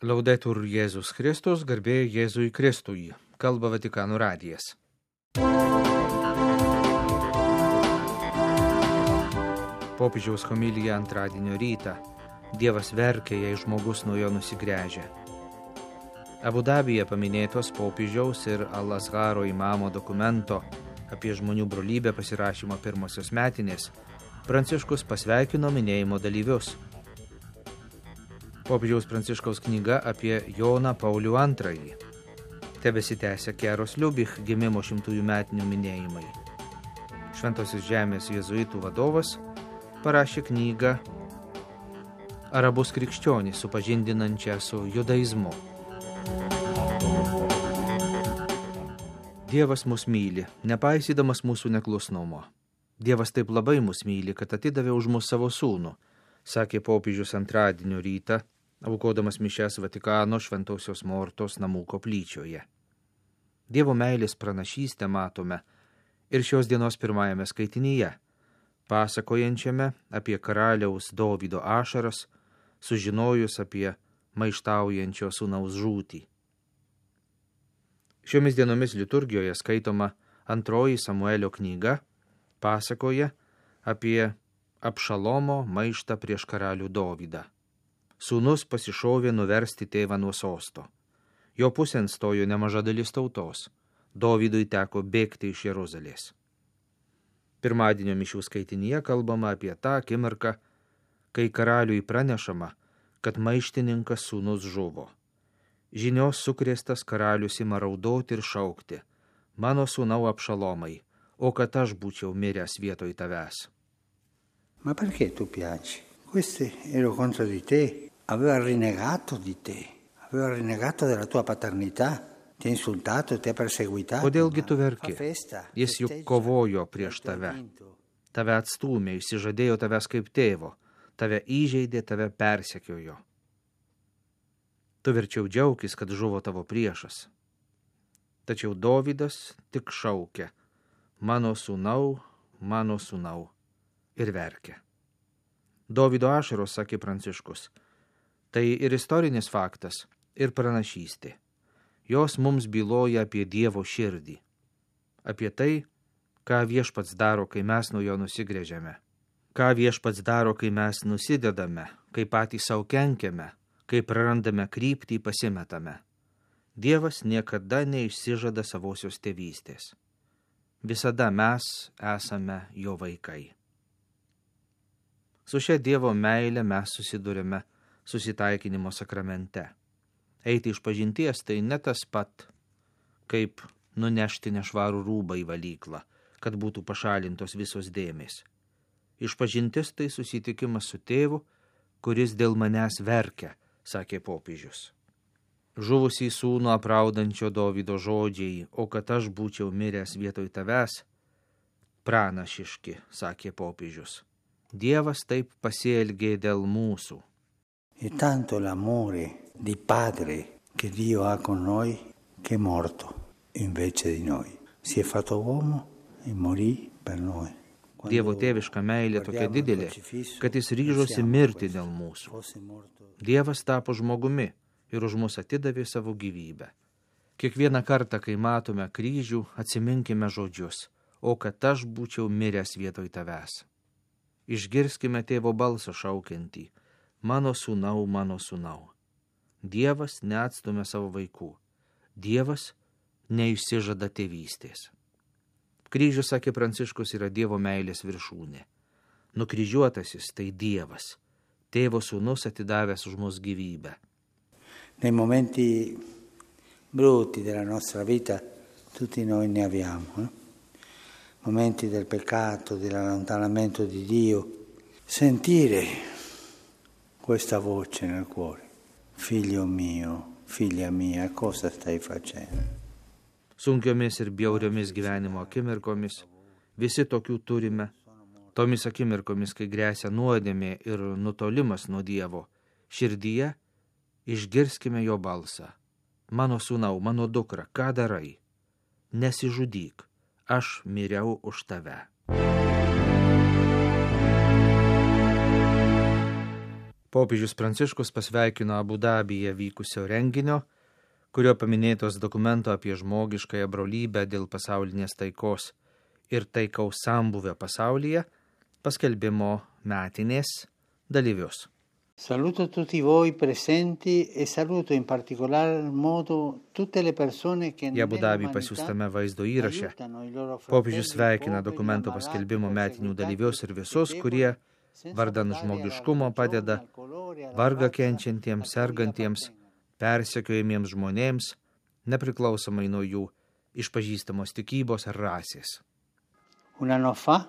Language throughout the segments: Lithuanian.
Laudetur Jėzus Kristus, garbė Jėzui Kristui, kalba Vatikano radijas. Popiežiaus homilija antradienio rytą. Dievas verkia, jei žmogus nuo jo nusigręžia. Abu Dabyje paminėtos popiežiaus ir Al-Azharo imamo dokumento apie žmonių brolybę pasirašymo pirmosios metinės Pranciškus pasveikino minėjimo dalyvius. Popiežiaus Pranciškaus knyga apie Joną Paulių II. Tebesitęsia Keros Liubich gimimo 100 metinių minėjimai. Šventosios žemės jėzuitų vadovas parašė knygą Arabus krikščionys supažindinančią su judaizmu. Dievas mus myli, nepaisydamas mūsų neklusnumo. Dievas taip labai mus myli, kad atidavė už mus savo sūnų, sakė popiežius antradienio rytą, aukodamas mišias Vatikano Šventosios Mortos namų koplyčioje. Dievo meilės pranašystę matome ir šios dienos pirmajame skaitinyje, pasakojančiame apie karaliaus Dovydo ašaras, sužinojus apie maištaujančio sūnaus žūtį. Šiomis dienomis liturgijoje skaitoma antroji Samuelio knyga, pasakoja apie Abšalomo maištą prieš karalių Dovydą. Sūnus pasišovė nuversti tėvą nuo sosto. Jo pusėn stojo nemaža dalis tautos. Dovydui teko bėgti iš Jeruzalės. Pirmadienio mišių skaitinyje kalbama apie tą akimirką, kai karaliui pranešama, kad maištininkas sūnus žuvo. Žinios sukrėstas karalius ima raudoti ir šaukti: mano sūnau Abšalomai, o kad aš būčiau miręs vietoj tavęs. Ma perché tu piangi? Questo ero contro di te, aveva rinnegato di te, aveva rinnegato della tua paternità, ti ha insultato, ti ha perseguitato. Kodėlgi tu verki? Jis juk kovojo prieš tave. Tave atstūmė, išsižadėjo tavęs kaip tėvo, tave įžeidė, tave persekiojo. Tu verčiau džiaukis, kad žuvo tavo priešas. Tačiau Dovydas tik šaukė: mano sūnau, ir verkė. Dovydo ašaros, sakė Pranciškus, tai ir istorinis faktas, ir pranašystė. Jos mums byloja apie Dievo širdį, apie tai, ką Viešpats daro, kai mes nuo jo nusigręžiame, ką Viešpats daro, kai mes nusidedame, kai patys savo kenkiame, kai prarandame kryptį, pasimetame. Dievas niekada neišsižada savosios tėvystės. Visada mes esame jo vaikai. Su šia Dievo meile mes susidurime susitaikinimo sakramente. Eiti iš pažinties tai ne tas pat, kaip nunešti nešvarų rūbą į valyklą, kad būtų pašalintos visos dėmės. Išpažintis tai susitikimas su tėvu, kuris dėl manęs verkia, sakė popiežius. Žuvusį sūnų apraudančio Dovydo žodžiai, o kad aš būčiau miręs vietoj tavęs, pranašiški, sakė popiežius. Dievas taip pasielgė dėl mūsų. E tanto l'amore di padre che Dio ha con noi che è morto invece di noi. Si è fatto uomo e morì per noi. Dievo tėviška meilė tokia didelė, kad jis ryžosi mirti dėl mūsų. Dievas tapo žmogumi ir už mus atidavė savo gyvybę. Kiekvieną kartą, kai matome kryžių, atsiminkime žodžius: o kad aš būčiau miręs vietoj tavęs. Išgirskime tėvo balsą šaukiantį: mano sūnau. Dievas neatstumia savo vaikų. Dievas neišsižada tėvystės. Kryžius, sakė Pranciškus, yra Dievo meilės viršūnė. Nukryžiuotasis tai Dievas, tėvo sūnus atidavęs už mus gyvybę. Nei momenti brutti della nostra vita tutti noi ne abbiamo, momenti del peccato, dell'allontanamento di Dio, sentire questa voce nel cuore: figlio mio, figlia mia, cosa stai facendo? Sunkiomis ir bjauriomis gyvenimo akimirkomis, visi tokių turime, tomis akimirkomis, kai gresia nuodėmė ir nutolimas nuo Dievo, širdyje išgirskime jo balsą: mano sūnau, mano dukra, ką darai? Nesižudyk, aš miriau už tave. Popiežius Pranciškus pasveikino Abu Dabyje vykusio renginio, kurio paminėtos dokumento apie žmogiškąją brolybę dėl pasaulinės taikos ir taikaus sambūvio pasaulyje paskelbimo metinės dalyvius. Saluto tutti voi presenti e saluto in particolar modo tutte le persone che Į Abu Dabį pasiųstame vaizdo įraše popiežius sveikina dokumento paskelbimo metinių dalyvius ir visus, kurie vardan žmogiškumo padeda vargą kenčiantiems, sergantiems, persekiojamiems žmonėms, nepriklausomai nuo jų išpažįstamos tikybos ar rasės. Un anno fa,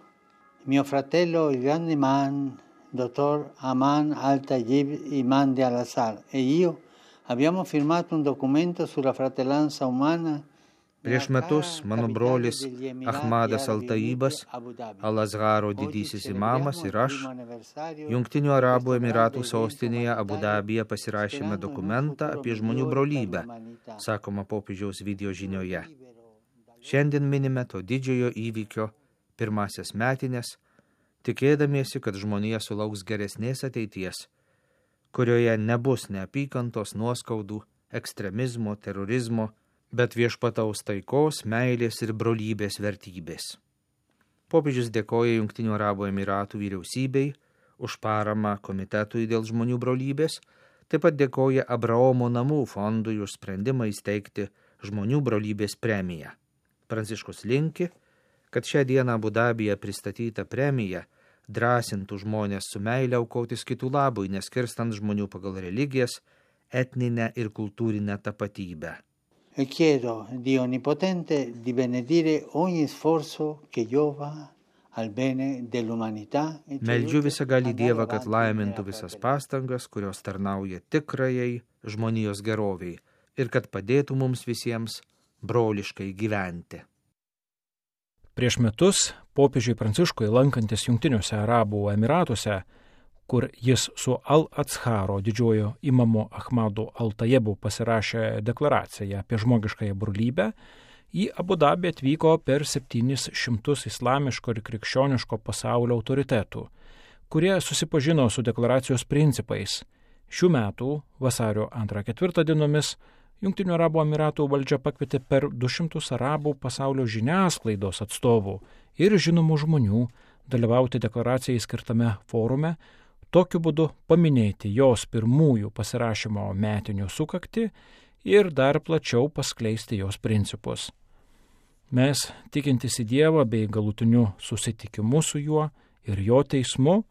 mio fratello, il grande man, Dottor Aman Al-Tayyib Imam de Al-Azhar e io abbiamo firmato un documento sulla fratellanza umana. Prieš metus mano brolis Ahmadas Al-Tayyibas, Al-Azharo didysis imamas ir aš, Jungtinių Arabų Emiratų sostinėje Abu Dabyje pasirašėme dokumentą apie žmonių brolybę, sakoma popiežiaus video žinioje. Šiandien minime to didžiojo įvykio pirmasias metinės, tikėdamiesi, kad žmonija sulauks geresnės ateities, kurioje nebus neapykantos, nuoskaudų, ekstremizmo, terorizmo, bet viešpataus taikos, meilės ir brolybės vertybės. Popiežius dėkoja Jungtinių Arabų Emiratų vyriausybei už paramą komitetui dėl žmonių brolybės, taip pat dėkoja Abraomo namų fondui už sprendimą įsteigti žmonių brolybės premiją. Pranciškus linki, kad šią dieną Abu Dabyje pristatyta premija drąsintų žmonės su meile aukotis kitų labui, neskirstant žmonių pagal religijas, etninę ir kultūrinę tapatybę. E chiedo Dio Onnipotente di benedire ogni sforzo che giova al bene dell'umanità. Meldžiu visagalį Dievą, kad laimintų visas pastangas, kurios tarnauja tikrajai žmonijos geroviai ir kad padėtų mums visiems broliškai gyventi. Prieš metus popiežiui Pranciškui lankantis Jungtiniuose Arabų Emiratuose, kur jis su Al-Azharo didžiojo imamu Ahmadu Al-Tayyibu pasirašė deklaraciją apie žmogiškąją brolybę, į Abu Dabį atvyko per 700 islamiško ir krikščioniško pasaulio autoritetų, kurie susipažino su deklaracijos principais. Šių metų vasario 2-4 dienomis Jungtinių Arabų Emiratų valdžia pakvietė per 200 arabų pasaulio žiniasklaidos atstovų ir žinomų žmonių dalyvauti deklaracijai skirtame forume, tokiu būdu paminėti jos pirmųjų pasirašymo metinių sukaktį ir dar plačiau paskleisti jos principus. Mes, tikintis į Dievą bei galutiniu susitikimu su juo ir jo teismu,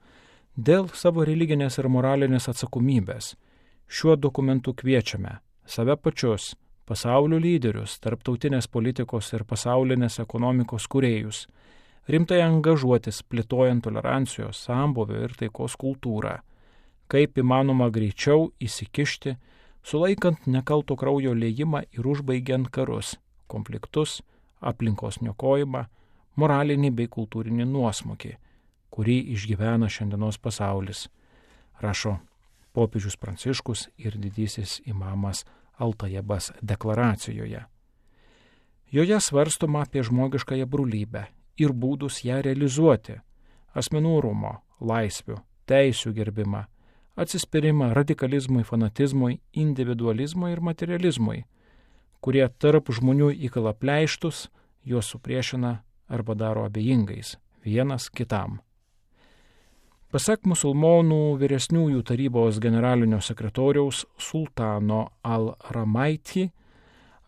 dėl savo religinės ir moralinės atsakomybės, šiuo dokumentu kviečiame save pačius, pasaulio lyderius, tarptautinės politikos ir pasaulinės ekonomikos kūrėjus, rimtai angažuotis plėtojant tolerancijos, sambūvio ir taikos kultūrą, kaip įmanoma greičiau įsikišti, sulaikant nekalto kraujo liejimą ir užbaigiant karus, konfliktus, aplinkos niokojimą, moralinį bei kultūrinį nuosmukį, kurį išgyvena šiandienos pasaulis, rašo popiežius Pranciškus ir didysis imamas Al-Tayyibas deklaracijoje. Joje svarstoma apie žmogiškąją brolybę ir būdus ją realizuoti, asmenų orumo, laisvių, teisių gerbimą, atsispyrimą radikalizmui, fanatizmui, individualizmui ir materializmui, kurie tarp žmonių įkala pleištus, juos supriešina arba daro abejingais vienas kitam. Pasak musulmonų vyresniųjų tarybos generalinio sekretoriaus Sultano Al-Ramaiti,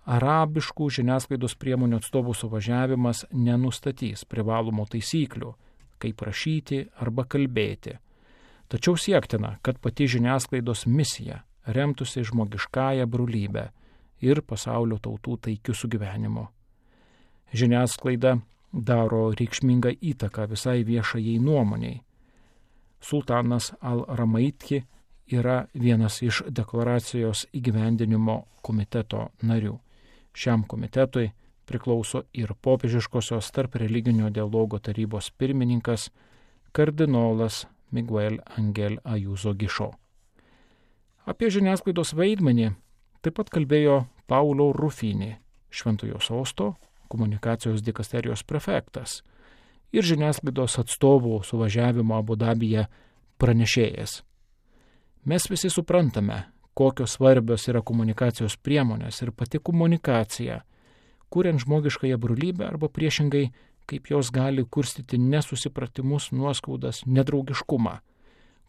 arabiškų žiniasklaidos priemonių atstovų suvažiavimas nenustatys privalomų taisyklių, kaip rašyti arba kalbėti. Tačiau siektina, kad pati žiniasklaidos misija remtųsi žmogiškąją brolybę ir pasaulio tautų taikiu sugyvenimu. Žiniasklaida daro reikšmingą įtaką visai viešajai nuomoniai. Sultanas Al-Ramaiti yra vienas iš deklaracijos įgyvendinimo komiteto narių. Šiam komitetui priklauso ir popiežiškosios tarp religinio dialogo tarybos pirmininkas kardinolas Miguel Angel Ayuso Gišo. Apie žiniasklaidos vaidmenį taip pat kalbėjo Paulo Rufini, Šventojo Sosto komunikacijos dikasterijos prefektas ir žiniasklaidos atstovų suvažiavimo Abu Dabyje pranešėjas. Mes visi suprantame, kokios svarbios yra komunikacijos priemonės ir pati komunikacija, kuriant žmogiškąją brolybę arba priešingai, kaip jos gali kurstyti nesusipratimus, nuoskaudas, nedraugiškumą,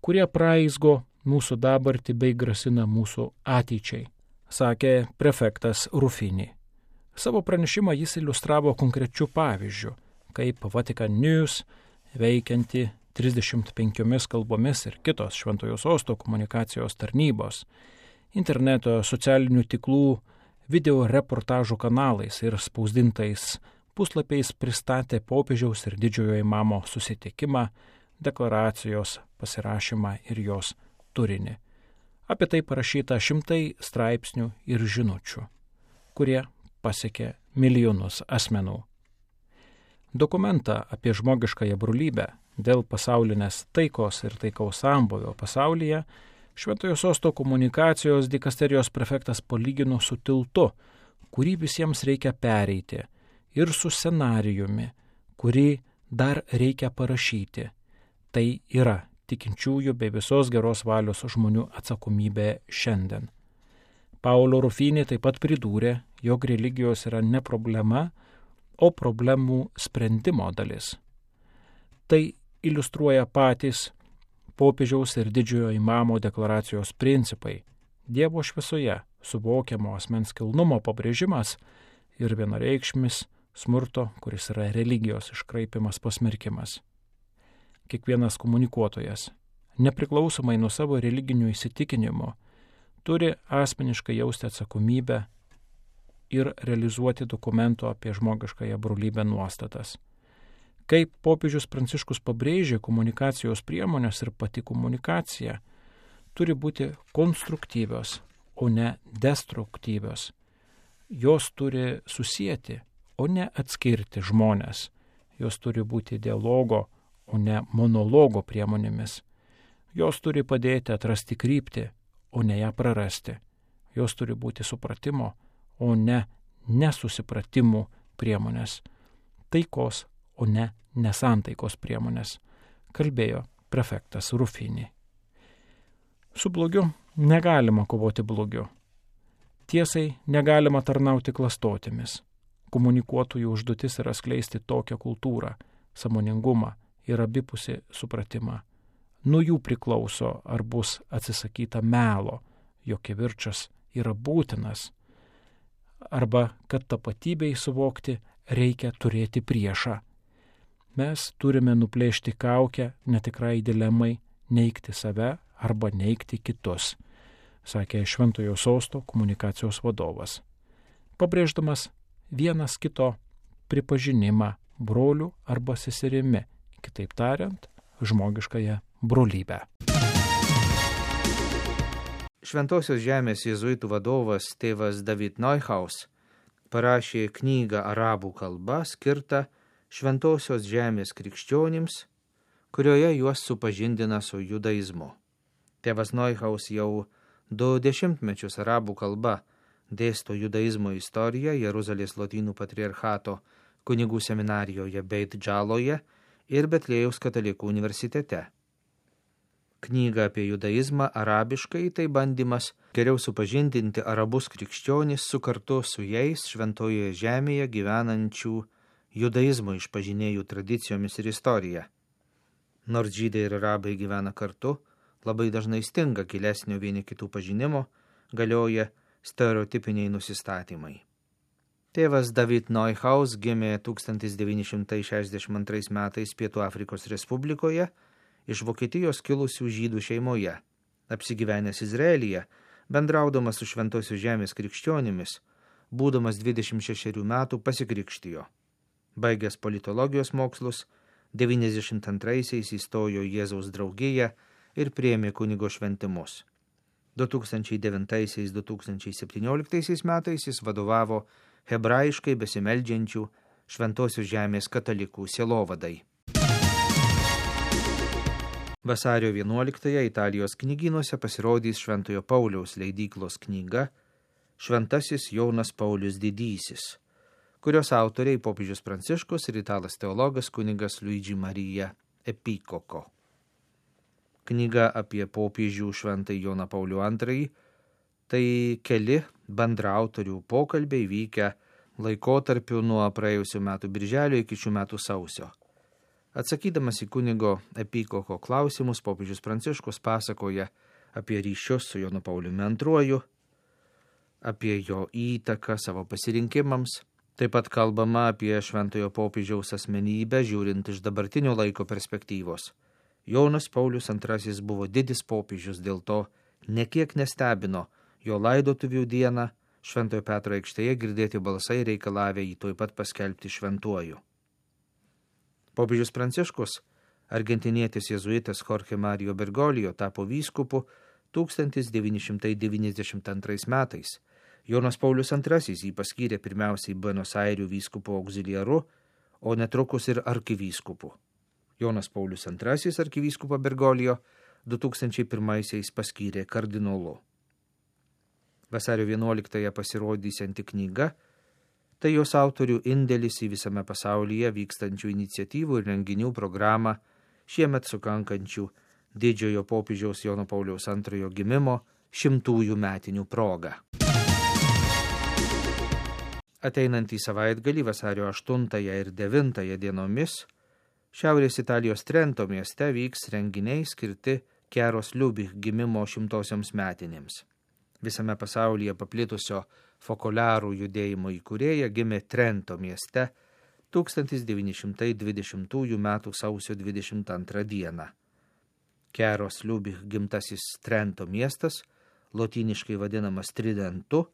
kurie praizgo mūsų dabartį bei grasina mūsų ateičiai, sakė prefektas Ruffini. Savo pranešimą jis iliustravo konkrečiu pavyzdžiu, kaip Vatican News, veikianti 35 kalbomis ir kitos Šventojo Sosto komunikacijos tarnybos, interneto, socialinių tinklų, video reportažų kanalais ir spausdintais puslapiais pristatė popiežiaus ir didžiojo imamo susitikimą, deklaracijos pasirašymą ir jos turinį. Apie tai parašyta šimtai straipsnių ir žinučių, kurie pasiekė milijonus asmenų. Dokumentą apie žmogiškąją brolybę dėl pasaulinės taikos ir taikaus sambūvio pasaulyje Šventojo Sosto komunikacijos dikasterijos prefektas palygino su tiltu, kurį visiems reikia pereiti, ir su scenarijumi, kurį dar reikia parašyti. Tai yra tikinčiųjų bei visos geros valios žmonių atsakomybė šiandien. Paolo Ruffini taip pat pridūrė, jog religijos yra ne problema, o problemų sprendimo dalis. Tai iliustruoja patys popiežiaus ir didžiojo imamo deklaracijos principai, Dievo šviesoje suvokiamo asmens kilnumo pabrėžimas ir vienareikšmis smurto, kuris yra religijos iškraipimas, pasmerkimas. Kiekvienas komunikuotojas, nepriklausomai nuo savo religinių įsitikinimų, turi asmeniškai jausti atsakomybę ir realizuoti dokumento apie žmogiškąją brolybę nuostatas. Kaip popiežius Pranciškus pabrėžė, komunikacijos priemonės ir pati komunikacija turi būti konstruktyvios, o ne destruktyvios. Jos turi susieti, o ne atskirti žmonės. Jos turi būti dialogo, o ne monologo priemonėmis. Jos turi padėti atrasti kryptį, o ne ją prarasti. Jos turi būti supratimo, o ne nesusipratimų priemonės. Taikos, o ne nesantaikos priemonės, kalbėjo prefektas Ruffini. Su blogiu negalima kovoti blogiu. Tiesai negalima tarnauti klastotėmis. Komunikuotojų užduotis yra skleisti tokią kultūrą, sąmoningumą ir abipusį supratimą. Nuo jų priklauso, ar bus atsisakyta melo, jog kivirčas yra būtinas, arba kad tapatybei suvokti reikia turėti priešą. Mes turime nuplėšti kaukę netikrai dilemai neigti save arba neigti kitus, sakė Šventojo Sosto komunikacijos vadovas, pabrėždamas vienas kito pripažinimą brolių arba seserimi, kitaip tariant, žmogiškąją brolybę. Šventosios žemės jėzuitų vadovas tėvas David Neuhaus parašė knygą arabų kalba skirtą Šventosios žemės krikščionims, kurioje juos supažindina su judaizmu. Tėvas Neuhaus jau 2 dešimtmečius arabų kalba dėsto judaizmo istoriją Jeruzalės lotynų patriarchato kunigų seminarijoje Beit Džaloje ir Betlėjaus katalikų universitete. Knyga apie judaizmą arabiškai tai bandymas geriau supažindinti arabus krikščionis su kartu su jais šventojoje žemėje gyvenančių judaizmo išpažinėjų tradicijomis ir istorija. Nors žydai ir arabai gyvena kartu, labai dažnai stinga gilesnio vieni kitų pažinimo, galioja stereotipiniai nusistatymai. Tėvas David Neuhaus gimė 1962 metais Pietų Afrikos Respublikoje iš Vokietijos kilusių žydų šeimoje. Apsigyvenęs Izraelyje, bendraudamas su Šventosios žemės krikščionimis, būdamas 26 metų pasikrikštijo. Baigęs politologijos mokslus, 92-aisiais įstojo Jėzaus draugiją ir priėmė kunigo šventimus. 2009-2017 metais jis vadovavo hebrajiškai besimeldžiančių Šventosios žemės katalikų sielovadai. Vasario 11-ąją Italijos knygynuose pasirodys Šventojo Pauliaus leidyklos knyga Šventasis Jonas Paulius Didysis, kurios autoriai popiežius Pranciškus ir italas teologas kunigas Luigi Marija Epikoko. knyga apie popiežių šventąjį Joną Paulių II, tai keli bendraautorių pokalbiai vykę laikotarpiu nuo praėjusių metų birželio iki šių metų sausio. Atsakydamas į kunigo Epikoko klausimus, popiežius Pranciškus pasakoja apie ryšius su Jonu Pauliumi II, apie jo įtaką savo pasirinkimams. Taip pat kalbama apie šventojo popiežiaus asmenybę, žiūrint iš dabartinio laiko perspektyvos. Jonas Paulius II buvo didis popiežius, dėl to nekiek nestebino jo laidotuvių dieną Šventojo Petro aikštėje girdėti balsai reikalavę jį tuoj pat paskelbti šventuoju. Popiežius Pranciškus, argentinietis jėzuitas Jorge Mario Bergoglio, tapo vyskupu 1992 metais. Jonas Paulius II jį paskyrė pirmiausiai Buenos Airių vyskupo auxiliaru, o netrukus ir arkivyskupu. Jonas Paulius II arkivyskupą Bergoglio 2001 paskyrė kardinolu. Vasario 11 pasirodysianti knyga – tai jos autorių indėlis į visame pasaulyje vykstančių iniciatyvų ir renginių programą šiemet sukankančių didžiojo popiežiaus Jono Pauliaus II gimimo 100-ųjų metinių proga. Ateinantį savaitgalį vasario 8 ir 9 dienomis Šiaurės Italijos Trento mieste vyks renginiai skirti Chiaros Lubich gimimo 100-osioms metinėms. Visame pasaulyje paplitusio fokolarų judėjimo įkūrėja gimė Trento mieste 1920 m. sausio 22 dieną. Chiaros Lubich gimtasis Trento miestas, lotyniškai vadinamas Tridentu,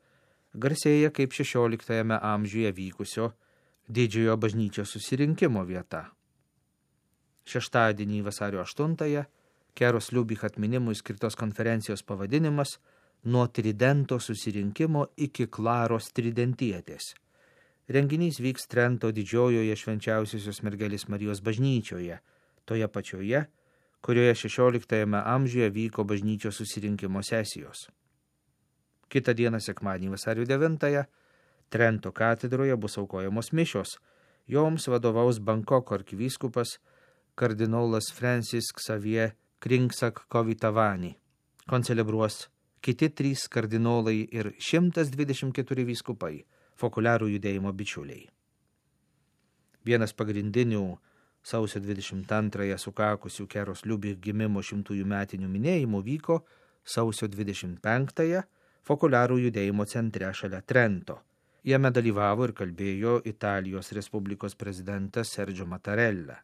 garsėja kaip 16 amžiuje vykusio didžiojo bažnyčios susirinkimo vieta. Šeštadienį vasario 8 Chiaros Lubich atminimui skirtos konferencijos pavadinimas Nuo Tridento susirinkimo iki Klaros Tridentietės. Renginys vyks Trento didžiojoje švenčiausiosios mergelės Marijos bažnyčioje, toje pačioje, kurioje 16 amžiuje vyko bažnyčios susirinkimo sesijos. Kitą dieną sekmadienį vasario 9 Trento katedroje bus aukojamos mišios. Joms vadovaus Bankoko arkivyskupas kardinolas Francis Xavier Kringsak Kovitavani. Koncelebruos kiti 3 kardinolai ir 124 vyskupai, fokuliarų judėjimo bičiuliai. Vienas pagrindinių sausio 22 sukakusių Chiaros Lubich gimimo 100-ųjų metinių minėjimų vyko sausio 25 fokuliarų judėjimo centre šalia Trento. Jame dalyvavo ir kalbėjo Italijos Respublikos prezidentas Sergio Mattarella.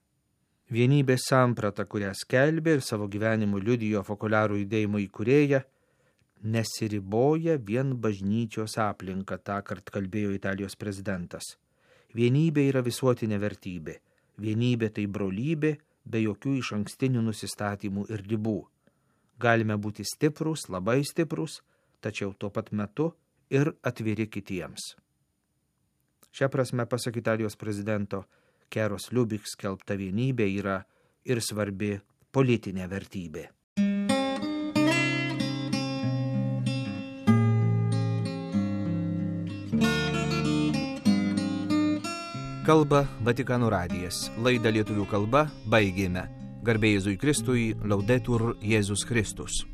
Vienybės samprata, kurią skelbė ir savo gyvenimu liudijo fokuliarų judėjimo įkūrėja, nesiriboja vien bažnyčios aplinka, tąkart kalbėjo Italijos prezidentas. Vienybė yra visuotinė vertybė. Vienybė tai brolybė, be jokių išankstinių nusistatymų ir ribų. Galime būti stiprūs, labai stiprūs, tačiau tuo pat metu ir atviri kitiems. Šia prasme, pasak Italijos prezidento, Chiaros Lubich skelbta vienybė yra ir svarbi politinė vertybė. Kalba Vatikano radijas. Laidą lietuvių kalba baigėme. Garbė Jėzui Kristui, Laudetur Jėzus Kristus.